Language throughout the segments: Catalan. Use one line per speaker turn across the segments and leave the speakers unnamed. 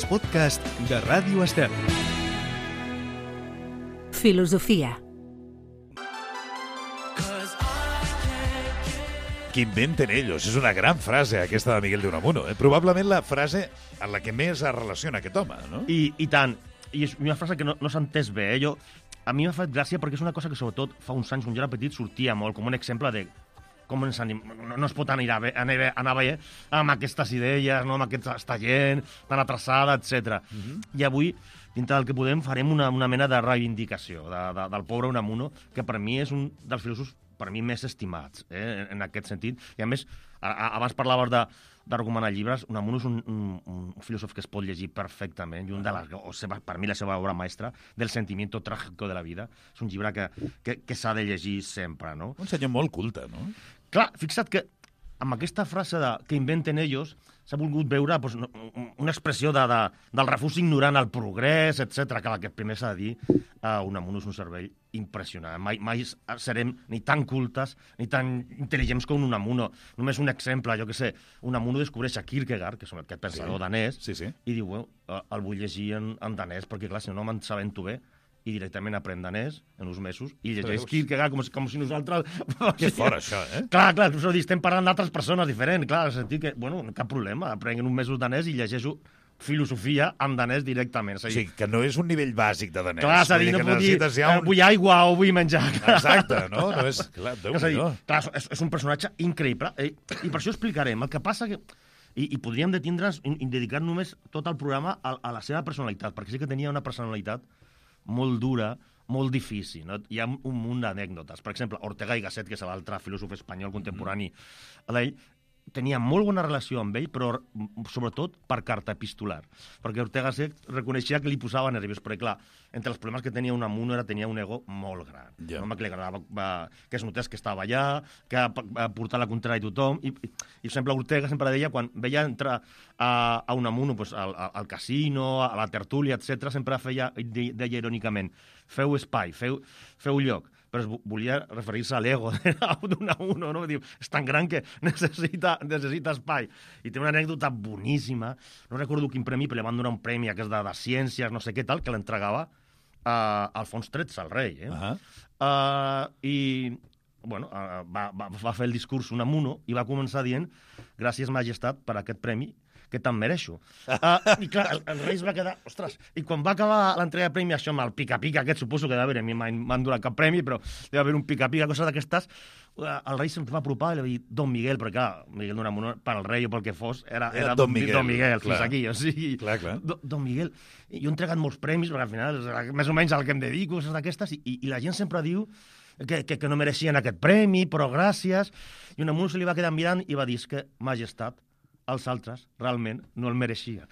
els podcasts de Ràdio Estel.
Filosofia.
Que inventen ellos. És una gran frase, aquesta de Miguel de Unamuno. Probablement la frase en la que més es relaciona aquest home, no?
I tant. I és una frase que no s'ha entès bé. A mi m'ha fet gràcia perquè és una cosa que, sobretot, fa uns anys, quan jo era petit, sortia molt com un exemple de com no es pot anar bé amb aquestes idees, no? Amb aquesta gent tan atrasada, etc. I avui, dintre del que podem, farem una mena de reivindicació del pobre Unamuno, que per mi és un dels filòsofs per mi més estimats, en aquest sentit. I a més, abans parlaves de recomanar llibres, Unamuno és un filòsof que es pot llegir perfectament, i per mi la seva obra maestra, del sentimiento trágico de la vida. És un llibre que s'ha de llegir sempre, no?
Un senyor molt culte, no?
Clar, fixa't que amb aquesta frase que inventen ells s'ha volgut veure una expressió del refús ignorant al progrés, etc. Clar, que primer s'ha de dir, Unamuno és un cervell impressionant. Mai serem ni tan cultes ni tan intel·ligents com Unamuno. Només un exemple, jo què sé, Unamuno descobreix a Kierkegaard, que és aquest pensador danès, i diu, el vull llegir en danès, perquè clar, si no me'n sabento bé, i directament aprèn danès en uns mesos i llegeix Kierkegaard com si nosaltres...
Que fora, això,
Clar, estem parlant d'altres persones diferents, clar, en el sentit que, cap problema, aprenguin uns mesos danès i llegeixo filosofia en danès directament.
O sigui, que no és un nivell bàsic de danès.
Clar, és a dir, no puc dir, vull aigua o vull menjar.
Exacte, no? No és... Clar,
és un personatge increïble, i per això explicarem. El que passa que... I podríem detindre'ns i dedicar només tot el programa a la seva personalitat, perquè sí que tenia una personalitat molt dura, molt difícil. No? Hi ha un munt d'anècdotes. Per exemple, Ortega y Gasset, que és l'altre filòsof espanyol contemporani d'ell, tenia molt bona relació amb ell, però sobretot per carta epistolar. Perquè Ortega y Gasset reconeixia que li posava nerviós, perquè clar, entre els problemes que tenia Unamuno tenia un ego molt gran. Un home que li agradava que es notés que estava allà, que portar la contrària a tothom, i sempre Ortega sempre deia, quan veia entrar a Unamuno al casino, a la tertúlia, etc., sempre deia irònicament, feu espai, feu lloc, però volia referir-se a l'ego d'Unamuno, no? Diu, és tan gran que necessita espai. I té una anècdota boníssima, no recordo quin premi, però li van donar un premi aquest de ciències, no sé què tal, que l'entregava a Alfons XIII, al rei. I bueno, va fer el discurs Unamuno i va començar dient gràcies, majestat, per aquest premi, que te'n mereixo. I clar, el rei es va quedar... Ostres, i quan va acabar l'entrega de premi, això amb el pica-pica aquest, suposo que deu haver, a mi m'han donat cap premi, però deu haver un pica-pica, coses d'aquestes, el rei se'm va apropar i li va dir Don Miguel, perquè clar, Miguel d'Unamuno, per al rei o pel que fos, era Don Miguel, fins aquí. O sigui,
clar.
Don Miguel. Jo he entregat molts premis, perquè al final, més o menys al que em dedico, coses d'aquestes, i la gent sempre diu que no mereixien aquest premi, però gràcies. I Unamuno se li va quedar mirant i va dir que, majestat, els altres realment no el mereixia.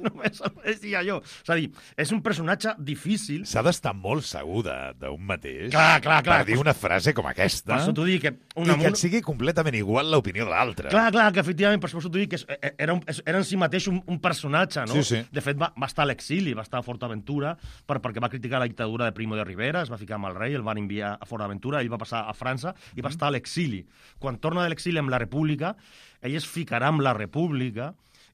Només el mereixia jo. És a dir, és un personatge difícil.
S'ha d'estar molt segur d'un mateix
clar,
per dir una frase com aquesta.
Per això t'ho dic que
I que et sigui completament igual l'opinió de l'altre.
Clar, que efectivament, per això t'ho dic que era en si mateix un personatge, no?
Sí.
De fet, va estar a l'exili, va estar a Fortaventura, perquè va criticar la dictadura de Primo de Rivera, es va ficar amb el rei, el van enviar a Fortaventura, ell va passar a França i va estar a l'exili. Quan torna de l'exili amb la República, ell es ficarà amb la República,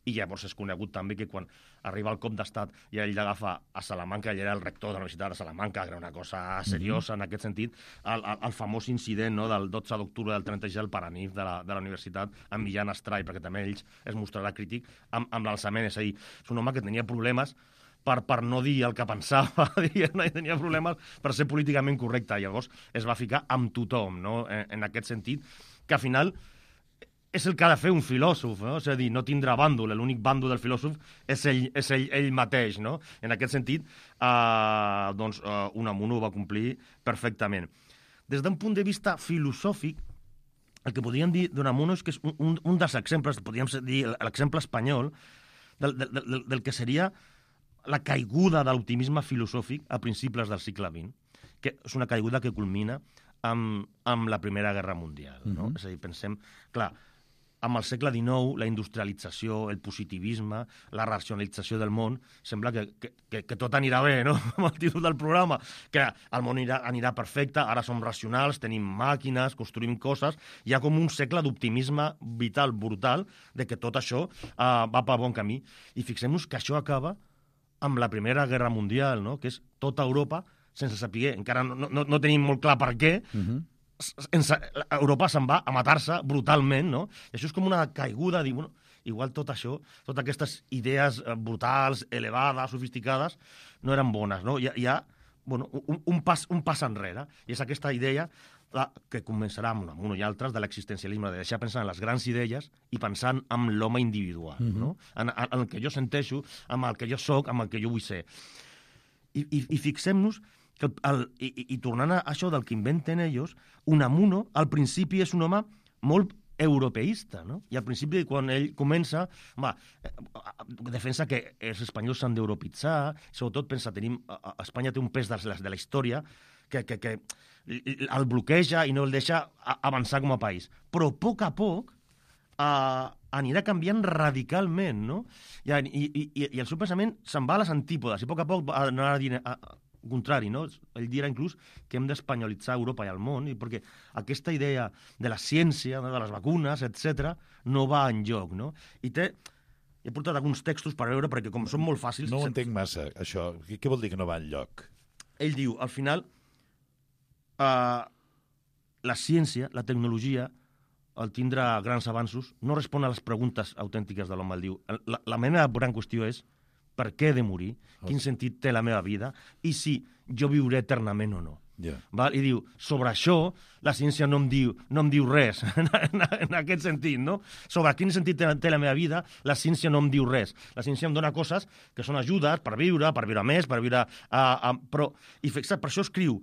i llavors és conegut també que quan arriba el cop d'estat i ell l'agafa a Salamanca, ell era el rector de la Universitat de Salamanca, que era una cosa seriosa en aquest sentit, el famós incident, no, del 12 d'octubre del 36 al Paranif de la universitat amb Millán Astray, perquè també ells es mostrarà crític amb l'alçament. És a dir, és un home que tenia problemes per no dir el que pensava, i tenia problemes per ser políticament correcte. Llavors es va ficar amb tothom, no? En aquest sentit, que al final és el que ha de fer un filòsof, no? És a dir, no tindrà bàndol, l'únic bàndol del filòsof és ell mateix, no? En aquest sentit, Unamuno ho va complir perfectament. Des d'un punt de vista filosòfic, el que podríem dir d'Unamuno és que és un dels exemples, podríem dir l'exemple espanyol, del que seria la caiguda de l'optimisme filosòfic a principis del segle XX, que és una caiguda que culmina amb la Primera Guerra Mundial, no? És a dir, pensem... Clar, amb el segle XIX, la industrialització, el positivisme, la racionalització del món, sembla que tot anirà bé, no? Amb el títol del programa, que el món anirà perfecte, ara som racionals, tenim màquines, construïm coses, hi ha com un segle d'optimisme vital, brutal, de que tot això va pel bon camí. I fixem-nos que això acaba amb la Primera Guerra Mundial, no? Que és tota Europa, sense saber, encara no tenim molt clar per què, Europa se'n va a matar-se brutalment, no? I això és com una caiguda, dir, bueno, igual tot això, totes aquestes idees brutals, elevades, sofisticades, no eren bones, no? Hi ha bueno, un pas enrere, i és aquesta idea que començarà amb un i altres de l'existencialisme, de deixar pensar en les grans idees i pensant en l'home individual, no? En el que jo senteixo, en el que jo soc, en el que jo vull ser. I fixem-nos que i tornant a això del que inventen ells, Unamuno al principi és un home molt europeista, no? I al principi, quan ell comença, defensa que els espanyols s'han d'europitzar, sobretot pensa, Espanya té un pes de la història que el bloqueja i no el deixa avançar com a país. Però a poc anirà canviant radicalment, no? I el seu pensament se'n va a les antípodes, i a poc anarà dient contrari, no? Ell dirà inclús que hem d'espanyolitzar Europa i el món, perquè aquesta idea de la ciència, de les vacunes, etc., no va enlloc, no? I he portat alguns textos per veure, perquè com són molt fàcils...
No ho entenc massa, això. Què vol dir que no va enlloc?
Ell diu, al final, la ciència, la tecnologia, al tindre grans avanços, no respon a les preguntes autèntiques de l'home. El diu, la meva gran qüestió és per què he de morir, quin sentit té la meva vida, i si jo viuré eternament o no.
Yeah.
Val? I diu, sobre això, la ciència no em diu res, en aquest sentit, no? Sobre quin sentit té la meva vida, la ciència no em diu res. La ciència em dona coses que són ajudes per viure més, per viure... I per això escriu,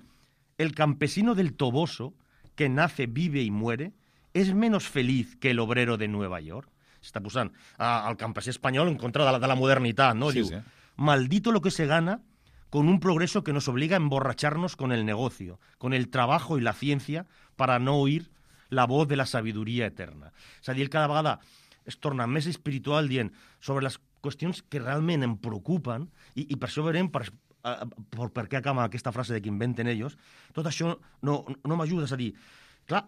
el campesino del Toboso, que nace, vive y muere, es menos feliz que el obrero de Nueva York. Està posant el campesí espanyol en contra de la modernitat, no?
Sí,
Diu,
sí.
Maldito lo que se gana con un progreso que nos obliga a emborracharnos con el negocio, con el trabajo y la ciencia para no oír la voz de la sabiduría eterna. És a dir, ell cada vegada es torna més espiritual dient sobre les qüestions que realment em preocupen i per això veurem per què acaba aquesta frase de que inventen ells. Tot això no m'ajuda. És a dir, clar,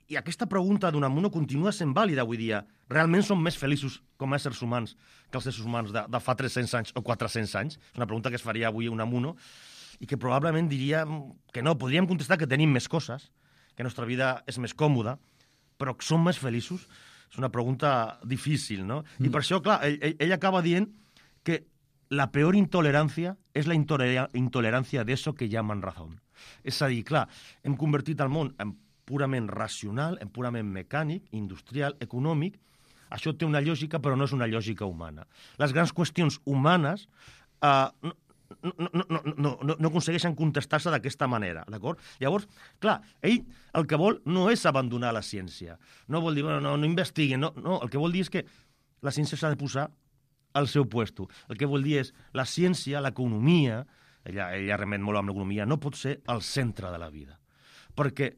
i aquesta pregunta d'Unamuno continua sent vàlida avui dia. Realment som més feliços com a éssers humans que els éssers humans de fa 300 anys o 400 anys? És una pregunta que es faria avui Unamuno i que probablement diria que no. Podríem contestar que tenim més coses, que la nostra vida és més còmoda, però som més feliços? És una pregunta difícil, no? I per això, clar, ell acaba dient que la peor intolerancia és la intolerancia de eso que llaman razón. És a dir, clar, hem convertit el món en purament racional, en purament mecànic, industrial, econòmic. Això té una lògica, però no és una lògica humana. Les grans qüestions humanes no aconsegueixen contestar-se d'aquesta manera, d'acord? Llavors, clar, ell el que vol no és abandonar la ciència. No vol dir, no investiguen, no. El que vol dir és que la ciència s'ha de posar al seu puesto. El que vol dir és la ciència, l'economia, ella remet molt amb l'economia, no pot ser el centre de la vida, perquè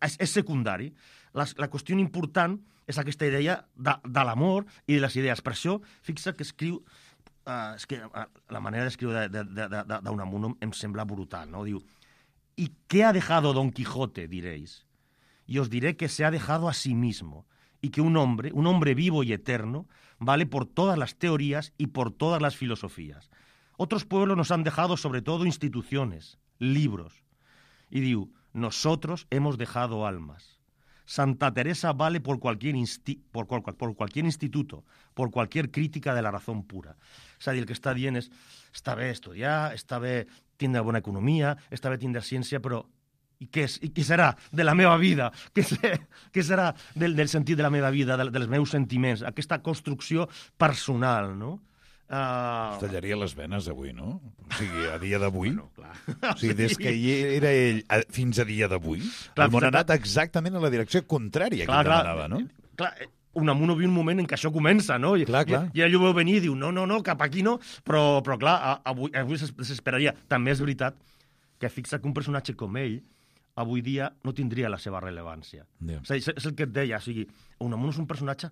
és secundari. La qüestió important és aquesta idea de l'amor i de les idees. Per això, fixa que escriu... és que la manera d'escriure d'Unamuno em sembla brutal, no? Diu, ¿y qué ha dejado Don Quijote, diréis? Y os diré que se ha dejado a sí mismo, y que un hombre vivo y eterno, vale por todas las teorías y por todas las filosofías. Otros pueblos nos han dejado sobre todo instituciones, libros. Y diu, nosotros hemos dejado almas. Santa Teresa vale por cualquier instituto, por cualquier crítica de la razón pura. És a dir, el que està dient és, està bé estudiar, està bé tindre bona economia, està bé tindre ciència, però i què serà de la meva vida? Què serà del sentit de la meva vida, dels meus sentiments? Aquesta construcció personal, no?
Es tallaria les venes avui, no? O sigui, a dia d'avui.
Bueno, clar.
O sigui, des que era ell fins a dia d'avui, el món ha anat exactament en la direcció contrària que ell demanava, no?
Clar, Unamuno viu un moment en què això comença, no? I ell ho veu venir i diu, no, cap aquí no, però clar, avui s'esperaria. També és veritat que fixa que un personatge com ell avui dia no tindria la seva rellevància.
Yeah.
És el que et deia, o sigui, Unamuno és un personatge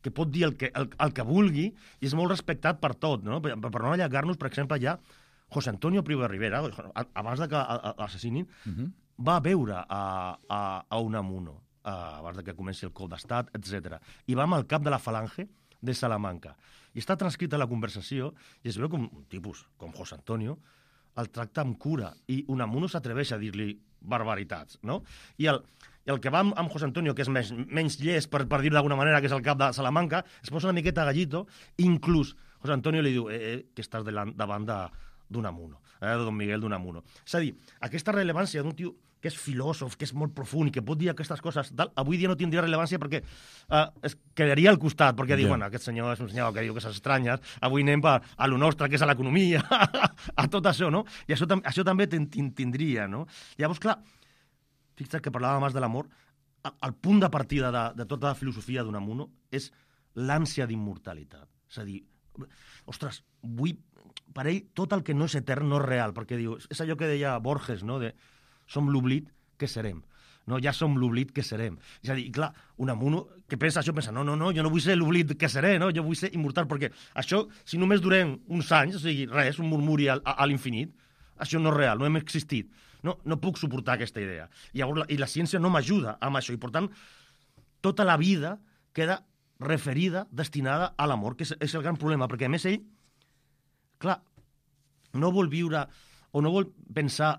que pot dir el que vulgui i és molt respectat per tot, no? Per no allargar-nos, per exemple, ja José Antonio Primo de Rivera, abans de que l'assassinin, va veure a Unamuno, abans de que comenci el cop d'estat, etc. I va amb el cap de la Falange de Salamanca. I està transcrita la conversació i es veu com un tipus com José Antonio el tracta amb cura i Unamuno s'atreveix a dir-li barbaritats, no? I el que va amb José Antonio, que és menys llest, per dir-ho d'alguna manera, que és el cap de Salamanca, es posa una miqueta gallito, inclús José Antonio li diu que estàs davant d'Unamuno, de Don Miguel d'Unamuno. És a dir, aquesta rellevància d'un tio que és filòsof, que és molt profund i que pot dir aquestes coses, avui dia no tindria rellevància perquè es quedaria al costat, perquè diu, bueno, aquest senyor és un senyor que diu coses estranyes, avui anem a lo nostre, que és a l'economia, a tot això, no? I això també tindria, no? Llavors, clar, fixa't que parlàvem abans de l'amor, el punt de partida de tota la filosofia d'Unamuno és l'ànsia d'immortalitat. És a dir, ostres, per ell tot el que no és etern no és real, perquè diu, és allò que deia Borges, no?, de som l'oblit que serem. No, ja som l'oblit que serem. És a dir, clar, Unamuno que pensa això, pensa, no, jo no vull ser l'oblit que seré, no? Jo vull ser immortal, perquè això, si només durem uns anys, o sigui, res, un murmuri a l'infinit, això no és real, no hem existit. No puc suportar aquesta idea. I la ciència no m'ajuda amb això, i per tant, tota la vida queda referida, destinada a l'amor, que és el gran problema, perquè a més ell, clar, no vol viure o no vol pensar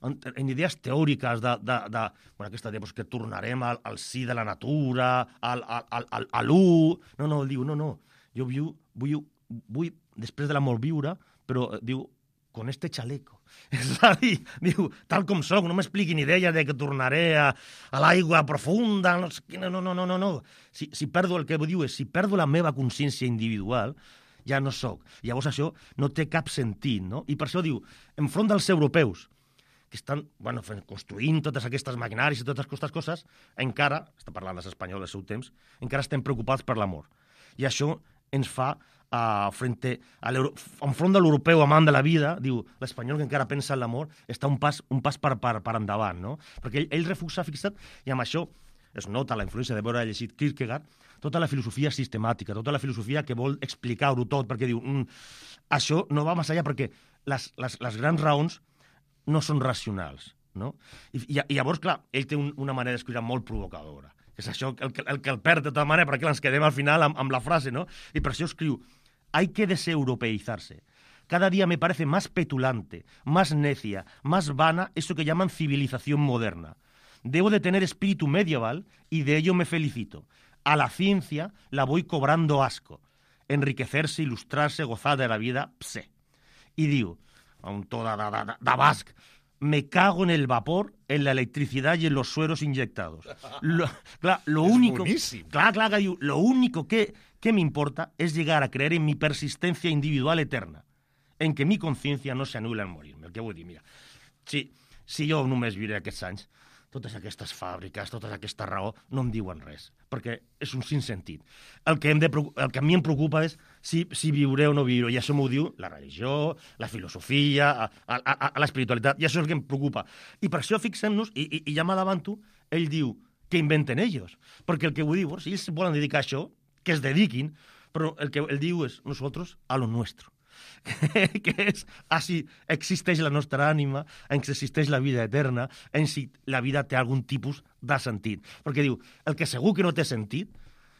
en idees teòriques bueno, aquesta idea que tornarem al sí de la natura, a l'u. No, diu, no, jo vull després de la mort viure, però diu, con este chaleco. És a dir, diu, tal com soc, no m'expliquin idees de que tornaré a l'aigua profunda, no. Si perdo, el que diu és, si perdo la meva consciència individual, ja no soc. Llavors això no té cap sentit, no? I per això diu, enfront dels europeus, que estan construint totes aquestes maquinàries i totes aquestes coses, encara, està parlant dels espanyols del seu temps, encara estem preocupats per l'amor. I això ens fa, enfront de l'europeu amant de la vida, diu, l'espanyol que encara pensa en l'amor, està un pas per endavant, no? Perquè ell refusa, fixa't, i amb això es nota la influència de veure llegit Kierkegaard, tota la filosofia sistemàtica, tota la filosofia que vol explicar-ho tot, perquè diu, això no va més allà, perquè les grans raons no són racionals, no? I llavors, clar, ell té una manera d'escriure molt provocadora. És això el que el perd de tota manera, perquè ens quedem al final amb la frase, no? I per això escriu, hay que deseuropeizarse. Cada día me parece más petulante, más necia, más vana eso que llaman civilización moderna. Debo de tener espíritu medieval y de ello me felicito. A la ciencia la voy cobrando asco. Enriquecerse, ilustrarse, gozar de la vida, pse. I diu, un to de basc, me cago en el vapor, en la electricidad y en los sueros inyectados. Lo único, que diu, lo único que me importa es llegar a creer en mi persistencia individual eterna, en que mi conciencia no se anula al morir-me. El que vull dir, mira, si jo només viuré aquests anys, totes aquestes fàbriques, tota aquesta raó, no em diuen res, perquè és un sinssentit. El que a mi em preocupa és si viuré o no viuré, i això m'ho diu la religió, la filosofia, l'espiritualitat, i això és el que em preocupa. I per això fixem-nos, i ja m'adavanto, ell diu que inventen ells, perquè el que vull dir, si ells volen dedicar a això, que es dediquin, però el que ell diu és nosotros a lo nuestro. Que és, si existeix la nostra ànima, en si existeix la vida eterna, en si la vida té algun tipus de sentit. Perquè diu, el que segur que no té sentit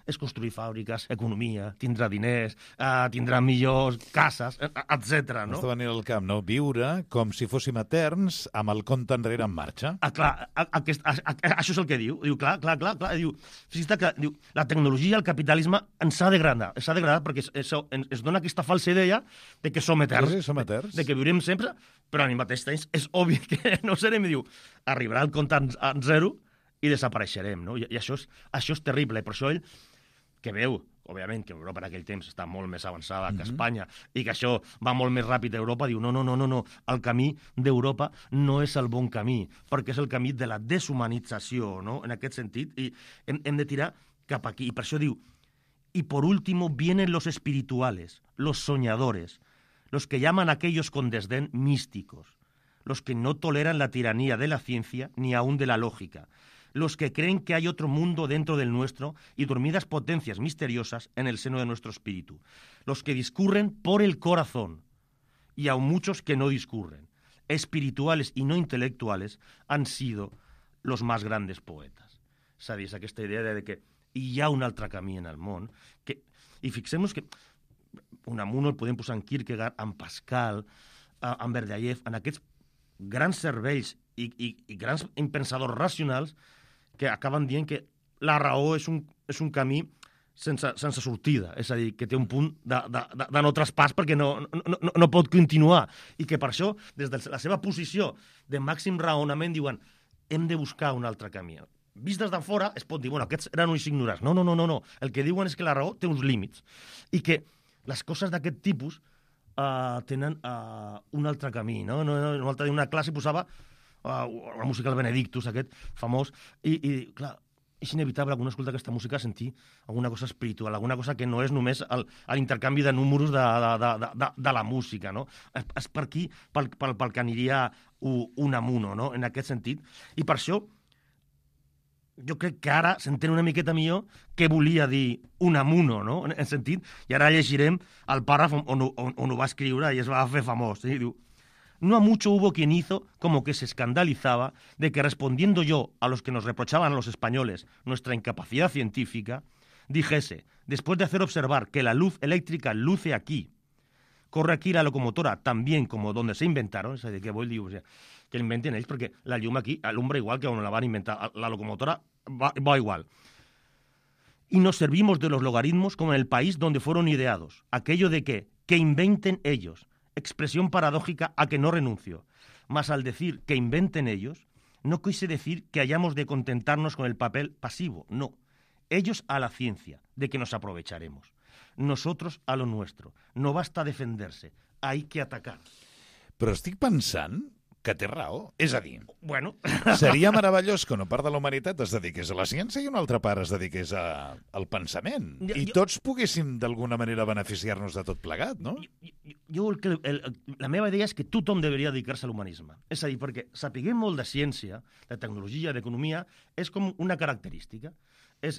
és construir fàbriques, economia, tindrà diners, tindrà millors cases, etc. No?
Està venint al camp, no? Viure com si fóssim eterns amb el compte enrere en marxa.
Clar, això és el que diu. Diu, clar. Diu, diu, la tecnologia, el capitalisme ens ha degradat perquè es dona aquesta falsa idea de que som eterns.
Sí, som eterns.
De que viurem sempre, però al mateix temps és obvi que no serem. Diu, arribarà el compte en zero i desapareixerem, no? I això és terrible. I per això ell, que veu, òbviament, que Europa en aquell temps està molt més avançada que Espanya i que això va molt més ràpid a Europa, diu, no, el camí d'Europa no és el bon camí, perquè és el camí de la deshumanització, no? En aquest sentit, i hem de tirar cap aquí. I per això diu, y por último vienen los espirituales, los soñadores, los que llaman a aquellos con desdén místicos. los que no toleran la tiranía de la ciencia ni aún de la lógica, los que creen que hay otro mundo dentro del nuestro y dormidas potencias misteriosas en el seno de nuestro espíritu, los que discurren por el corazón, y aún muchos que no discurren, espirituales y no intelectuales, han sido los más grandes poetes. És a dir, és aquesta idea de que hi ha un altre camí en el món, i fixem-nos que Unamuno el podem posar en Kierkegaard, en Pascal, en Berdyaev, en aquests grans cervells i grans impensadors racionals que acaben dient que la raó és un camí sense sortida, és a dir, que té un punt de no traspàs perquè no pot continuar, i que per això, des de la seva posició de màxim raonament, diuen hem de buscar un altre camí. Vist des de fora es pot dir, bueno, aquests eren uns ignorants. No. El que diuen és que la raó té uns límits i que les coses d'aquest tipus tenen un altre camí, no? Una classe posava la música del Benedictus, aquest famós, i clar, és inevitable, quan escolta aquesta música, sentir alguna cosa espiritual, alguna cosa que no és només l'intercanvi de números de la música, no? És per aquí pel que aniria Unamuno, no? En aquest sentit. I per això, jo crec que ara s'entén una miqueta millor què volia dir Unamuno, no? En sentit, i ara llegirem el pàrraf on ho va escriure i es va fer famós. Diu: no a mucho hubo quien hizo como que se escandalizaba de que respondiendo yo a los que nos reprochaban a los españoles nuestra incapacidad científica, dijese, después de hacer observar que la luz eléctrica luce aquí, corre aquí la locomotora tan bien como donde se inventaron, és a dir, que vull dir, o sigui, que l'inventen ells, perquè la llum aquí alumbra igual que on la van inventar, la locomotora va igual. Y nos servimos de los logaritmos como en el país donde fueron ideados, aquello de que inventen ellos, expresión paradójica a que no renuncio, mas al decir que inventen ellos, no quise decir que hayamos de contentarnos con el papel pasivo, no, ellos a la ciencia, de que nos aprovecharemos, nosotros a lo nuestro, no basta defenderse, hay que atacar.
Però estic pensant que té raó. És a dir,
Bueno,
seria meravellós que una part de la humanitat es dediqués a la ciència i una altra part es dediqués al pensament. I tots poguéssim d'alguna manera beneficiar-nos de tot plegat, no?
la meva idea és que tothom deveria dedicar-se a l'humanisme. És a dir, perquè sapiguem molt de ciència, de tecnologia, d'economia, és com una característica. És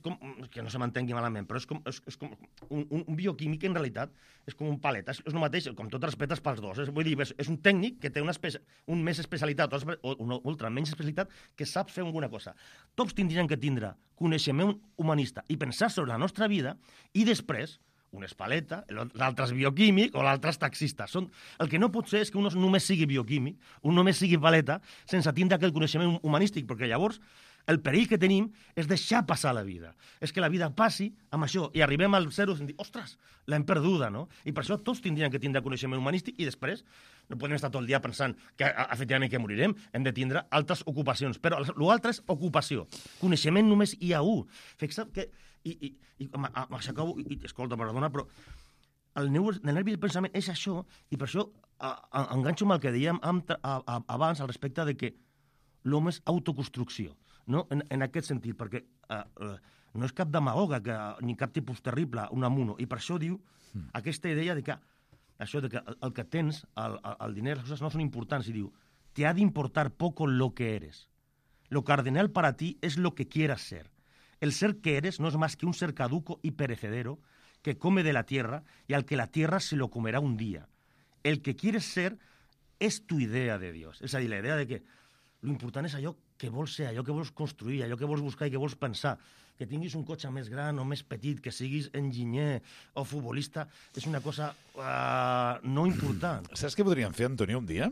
com, que no se m'entengui malament, però és com un bioquímic, en realitat, és com un palet. És el mateix, com tot respetes pels dos. Vull dir, és un tècnic que té un més especialitat, o una ultra menys especialitat, que sap fer alguna cosa. Tots tindrien que tindre coneixement humanista i pensar sobre la nostra vida, i després, un és paleta, l'altre és bioquímic o l'altre és taxista. El que no pot ser és que un només sigui bioquímic, un només sigui paleta, sense tindre aquest coneixement humanístic, perquè llavors el perill que tenim és deixar passar la vida. És que la vida passi amb això i arribem al zero i dir, ostres, l'hem perduda, no? I per això tots tindrien que tindre coneixement humanístic i després no podem estar tot el dia pensant que efectivament que morirem, hem de tindre altres ocupacions. Però l'altre és ocupació. Coneixement només hi ha un. Fixa't que... I m'aixecau, escolta, perdona, però el nervi del pensament és això, i per això enganxo amb el que dèiem abans al respecte de que l'home és autoconstrucció. No? En aquest sentit, perquè no és cap demagoga ni cap tipus terrible, Unamuno, i per això diu aquesta idea de que el que tens, el diner, les coses no són importants, i diu, te ha de importar poco lo que eres. Lo cardenal para ti es lo que quieras ser. El ser que eres no es más que un ser caduco y perecedero que come de la tierra y al que la tierra se lo comerá un día. El que quieres ser es tu idea de Dios. És a dir, la idea de que l'important és allò que vols ser, allò que vols construir, allò que vols buscar i que vols pensar. Que tinguis un cotxe més gran o més petit, que siguis enginyer o futbolista, és una cosa no important.
Saps què podríem fer, Antonio, un dia?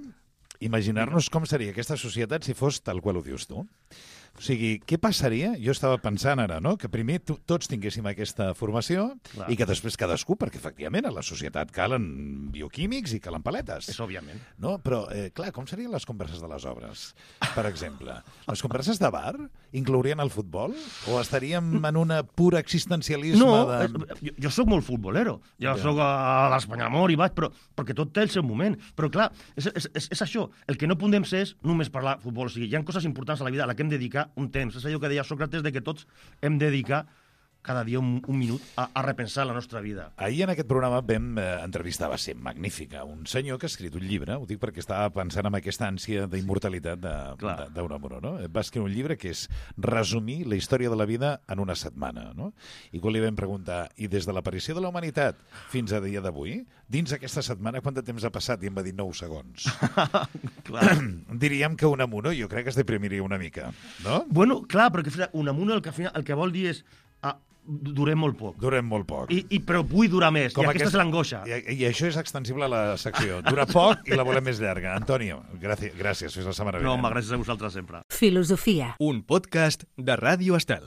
Imaginar-nos com seria aquesta societat si fos tal qual ho dius tu. O sigui, què passaria? Jo estava pensant ara, no?, que primer tots tinguéssim aquesta formació. Clar. I que després cadascú, perquè efectivament a la societat calen bioquímics i calen paletes.
És òbviament.
No? Però, clar, com serien les converses de les obres, per exemple? Les converses de bar inclourien el futbol? O estaríem en un pur existencialisme de...
Jo sóc molt futbolero. Jo sóc a l'Espanyamor i vaig, però perquè tot té el seu moment. Però, clar, és això. El que no podem ser és només parlar de futbol. O sigui, hi ha coses importants a la vida a la que hem de dedicar un temps. És allò que deia Sòcrates de que tots hem de dedicar cada dia un minut a repensar la nostra vida.
Ahir en aquest programa vam entrevistar, va ser magnífica, un senyor que ha escrit un llibre, ho dic perquè estava pensant en aquesta ànsia d'immortalitat d'Unamuno, no? Va escriure un llibre que és resumir la història de la vida en una setmana, no? I quan li vam preguntar, i des de l'aparició de la humanitat fins a dia d'avui, dins aquesta setmana quant de temps ha passat? I em va dir 9 segons. Diríem que Unamuno jo crec que es deprimiria una mica, no?
Bueno, clar, perquè Unamuno el que vol dir és durem molt poc.
Durem molt poc.
Però vull durar més, i aquesta és l'angoixa.
I això és extensible a la secció. Dura poc i la volem més llarga. Antonio, gràcies, fins la setmana vinent.
No, gràcies a vosaltres sempre.
Filosofia. Un podcast de Ràdio Estel.